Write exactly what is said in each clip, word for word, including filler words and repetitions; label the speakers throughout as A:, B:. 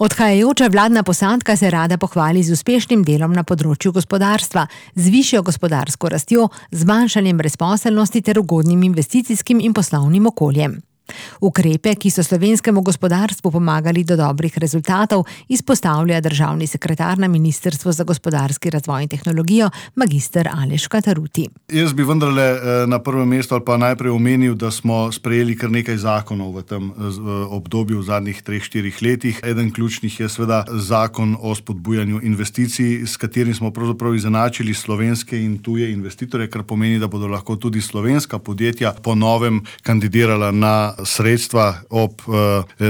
A: Odhajajoča vladna posadka se rada pohvali z uspešnim delom na področju gospodarstva, z višjo gospodarsko rastjo, zmanjšanjem brezposelnosti ter ugodnim investicijskim in poslovnim okoljem. Ukrepe, ki so slovenskemu gospodarstvu pomagali do dobrih rezultatov, izpostavlja državni sekretar na Ministrstvu za gospodarski razvoj in tehnologijo, magister Aleš Kantaruti.
B: Jaz bi vendarle na prvem mestu ali pa najprej omenil, da smo sprejeli kar nekaj zakonov v tem obdobju v zadnjih treh, štirih letih. Eden ključnih je seveda zakon o spodbujanju investicij, s katerim smo pravzaprav izenačili slovenske in tuje investitorje, kar pomeni, da bodo lahko tudi slovenska podjetja po novem kandidirala na sredstva ob uh,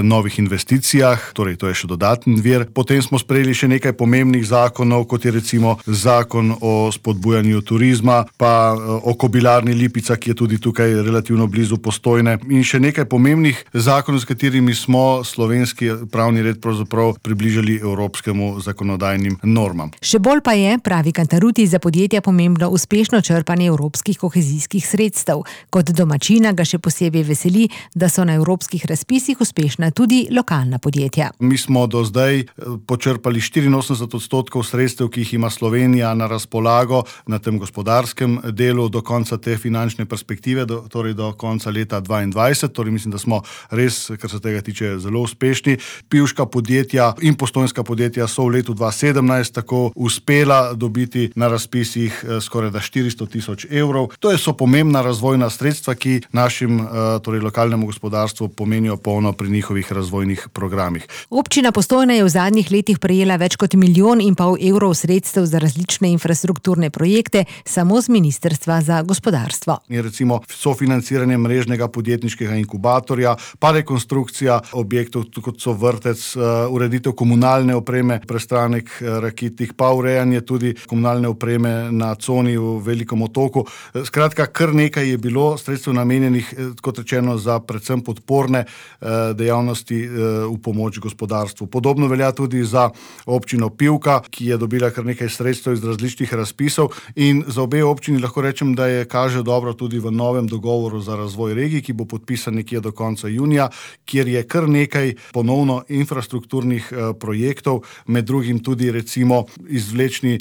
B: novih investicijah, torej to je še dodatni vir. Potem smo sprejeli še nekaj pomembnih zakonov, kot je recimo zakon o spodbujanju turizma, pa uh, o kobilarni Lipica, ki je tudi tukaj relativno blizu Postojne, in še nekaj pomembnih zakonov, s katerimi smo slovenski pravni red pravzaprav približali evropskemu zakonodajnim normam.
A: Še bolj pa je, pravi Kantaruti, za podjetja pomembno uspešno črpanje evropskih kohezijskih sredstev. Kot domačina ga še posebej veseli, da so na evropskih razpisih uspešna tudi lokalna podjetja.
B: Mi smo do zdaj počrpali štiriinosemdeset odstotkov sredstev, ki jih ima Slovenija na razpolago na tem gospodarskem delu do konca te finančne perspektive, do, torej do konca leta dvaindvajset. Torej mislim, da smo res, kar se tega tiče, zelo uspešni. Pivška podjetja in postojnska podjetja so v letu dva sedemnajst tako uspela dobiti na razpisih skoraj da štiristo tisoč evrov. To so pomembna razvojna sredstva, ki našim torej lokalnemu gospodarstvu pomenijo polno pri njihovih razvojnih programih.
A: Občina Postojna je v zadnjih letih prejela več kot milijon in pol evrov sredstev za različne infrastrukturne projekte samo z Ministrstva za gospodarstvo.
B: Je recimo sofinanciranje mrežnega podjetniškega inkubatorja, pa rekonstrukcija objektov, kot so vrtec, ureditev komunalne opreme, prestranek Rakitih, pa urejanje tudi komunalne opreme na coni v Velikem otoku. Skratka, kar nekaj je bilo sredstev namenjenih, kot rečeno, za predvsem podporne dejavnosti v pomoč gospodarstvu. Podobno velja tudi za občino Pivka, ki je dobila kar nekaj sredstev iz različnih razpisov, in za obe občini lahko rečem, da je kaže dobro tudi v novem dogovoru za razvoj regij, ki bo podpisan nekje do konca junija, kjer je kar nekaj ponovno infrastrukturnih projektov, med drugim tudi recimo izvlečni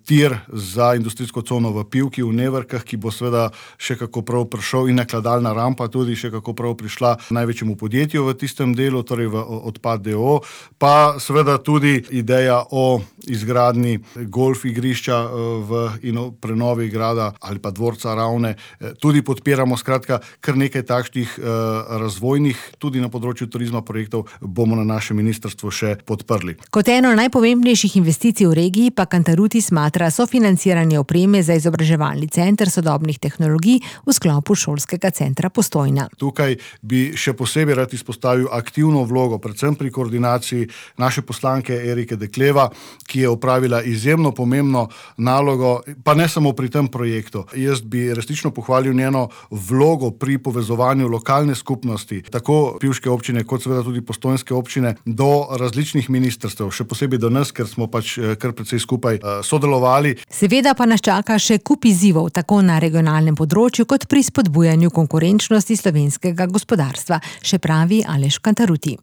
B: tir za industrijsko cono v Pivki v Nevrkah, ki bo seveda še kako prav prišel, in nakladalna rampa tudi še kako prav prišla največjemu podjetju v tistem delu, torej v Odpad d. o. o. Pa seveda tudi ideja o izgradnji golf igrišča v in o prenovi grada ali pa dvorca Ravne tudi podpiramo. Skratka, kar nekaj takšnih razvojnih, tudi na področju turizma projektov bomo na našem ministrstvu še podprli.
A: Kot eno najpomembnejših investicij v regiji pa Kantaruti smatra sofinanciranje opreme za izobraževalni center sodobnih tehnologij v sklopu šolskega centra Postojna.
B: Tukaj bi še posebej rad izpostavil aktivno vlogo, predvsem pri koordinaciji naše poslanke Erike Dekleva, ki je opravila izjemno pomembno nalogo, pa ne samo pri tem projektu. Jaz bi resnično pohvalil njeno vlogo pri povezovanju lokalne skupnosti, tako pivške občine, kot seveda tudi postojnske občine, do različnih ministrstev, še posebej do nas, ker smo pač kar precej skupaj sodelovali.
A: Seveda pa nas čaka še kup izzivov, tako na regionalnem področju, kot pri spodbujanju konkurenčnosti slovenskega gospodarstva, še pravi Aleš Kantaruti.